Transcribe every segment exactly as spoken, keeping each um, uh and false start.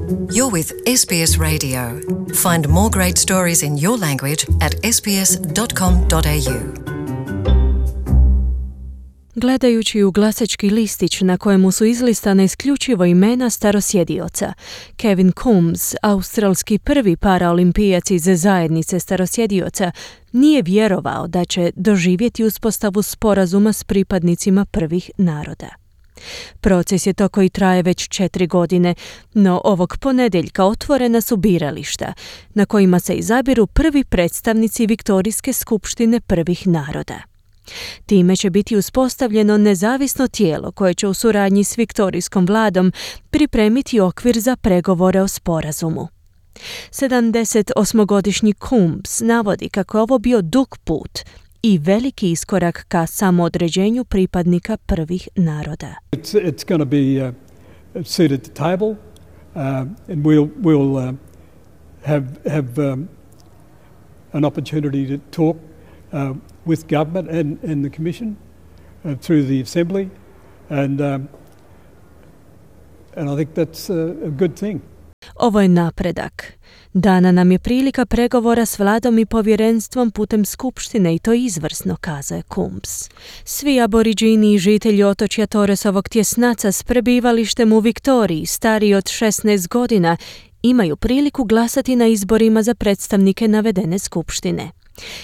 You're with S B S Radio. Find more great stories in your language at s b s dot com dot a u. Gledajući u glasački listić na kojemu su izlistana isključivo imena starosjedioca, Kevin Combs, australski prvi paraolimpijac iz zajednice starosjedioca, nije vjerovao da će doživjeti uspostavu sporazuma s pripadnicima prvih naroda. Proces je to koji traje već četiri godine, no ovog ponedjeljka otvorena su birališta, na kojima se izabiru prvi predstavnici Viktorijske skupštine prvih naroda. Time će biti uspostavljeno nezavisno tijelo koje će u suradnji s Viktorijskom vladom pripremiti okvir za pregovore o sporazumu. sedamdesetosmogodišnji Combs navodi kako je ovo bio dug put i veliki iskorak ka samoodređenju pripadnika prvih naroda. It's, it's going to be uh, a seat at the table uh, and we'll, we'll uh, have, have um, an opportunity to talk uh, with government and, and the commission uh, through the assembly and, um, and I think that's a, a good thing. Ovo je napredak. Dana nam je prilika pregovora s vladom i povjerenstvom putem skupštine i to izvrsno, kazao je Combs. Svi aboriđini i žitelji otočja Torresovog tjesnaca s prebivalištem u Viktoriji, stariji od šesnaest godina, imaju priliku glasati na izborima za predstavnike navedene skupštine.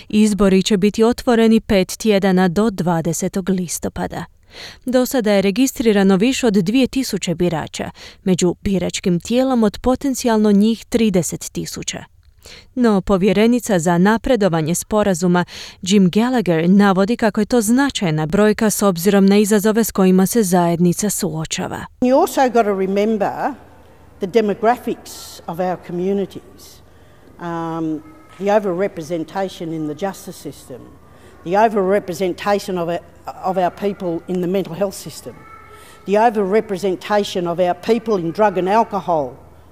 Izbori će biti otvoreni pet tjedana do dvadesetog listopada. Do sada je registrirano više od dvije tisuće birača, među biračkim tijelom od potencijalno njih trideset tisuća. No povjerenica za napredovanje sporazuma Jim Gallagher navodi kako je to značajna brojka s obzirom na izazove s kojima se zajednica suočava. You also got to remember the demographics of our communities, um, the overrepresentation in the justice system, the overrepresentation of our, of our people in the mental health system, the overrepresentation of our people in drug and alcohol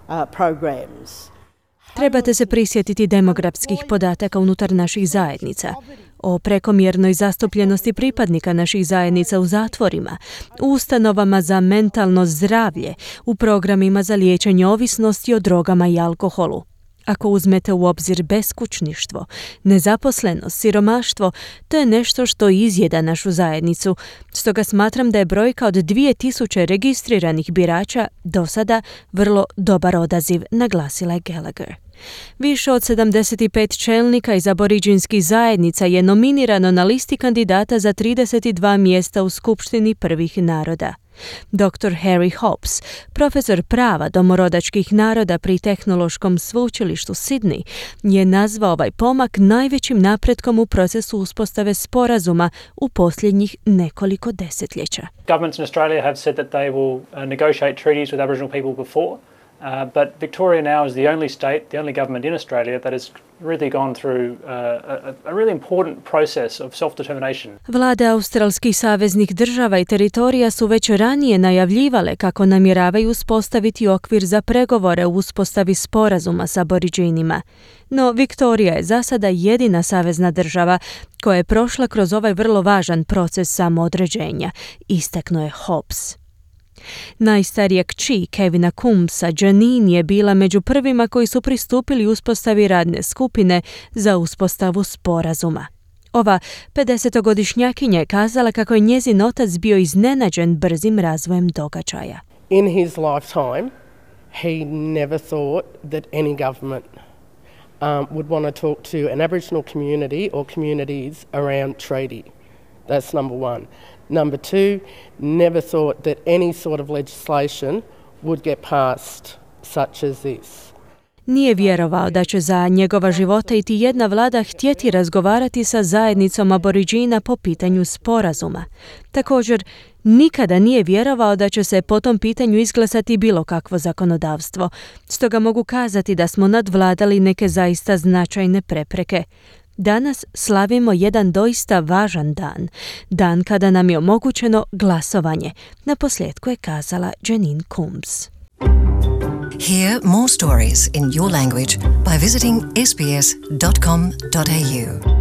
uh, programs. Trebate se prisjetiti demografskih podataka unutar naših zajednica, o prekomjernoj zastupljenosti pripadnika naših zajednica u zatvorima, u ustanovama za mentalno zdravlje, u programima za liječenje ovisnosti o drogama i alkoholu. Ako uzmete u obzir beskućništvo, nezaposlenost, siromaštvo, to je nešto što izjeda našu zajednicu. Stoga smatram da je brojka od dvije tisuće registriranih birača do sada vrlo dobar odaziv, naglasila je Gallagher. Više od sedamdeset pet čelnika iz aboriđinskih zajednica je nominirano na listi kandidata za trideset dva mjesta u Skupštini prvih naroda. doktor Harry Hobbs, profesor prava domorodačkih naroda pri Tehnološkom sveučilištu Sydney, je nazvao ovaj pomak najvećim napretkom u procesu uspostave sporazuma u posljednjih nekoliko desetljeća. Governments in Australia have said that they will uh, negotiate treaties with Aboriginal people before. Uh, but Victoria now is the only state, the only government in Australia that has really gone through uh, a, a really important process of self-determination. Vlade australskih saveznih država i teritorija su već ranije najavljivale kako namjeravaju uspostaviti okvir za pregovore u uspostavi sporazuma s aboriđinima. No, Viktorija je za sada jedina savezna država koja je prošla kroz ovaj vrlo važan proces samoodređenja, istaknuo je Hobbs. Najstarija kći Kevina Combsa, Janine, je bila među prvima koji su pristupili uspostavi radne skupine za uspostavu sporazuma. Ova pedesetogodišnjakinja je kazala kako je njezin otac bio iznenađen brzim razvojem događaja. In his lifetime, he never thought that any government um, would want to talk to an Aboriginal community or communities around treaty. That's number one. Number two, never thought that any sort of legislation would get passed such as this. Nije vjerovao da će za njegova života iti jedna vlada htjeti razgovarati sa zajednicom aboriđina po pitanju sporazuma. Također, nikada nije vjerovao da će se po tom pitanju izglasati bilo kakvo zakonodavstvo. Stoga mogu kazati da smo nadvladali neke zaista značajne prepreke. Danas slavimo jedan doista važan dan, dan kada nam je omogućeno glasovanje, naposljetku je kazala Janine Combs. Hear more stories in your language by visiting s b s dot com dot a u.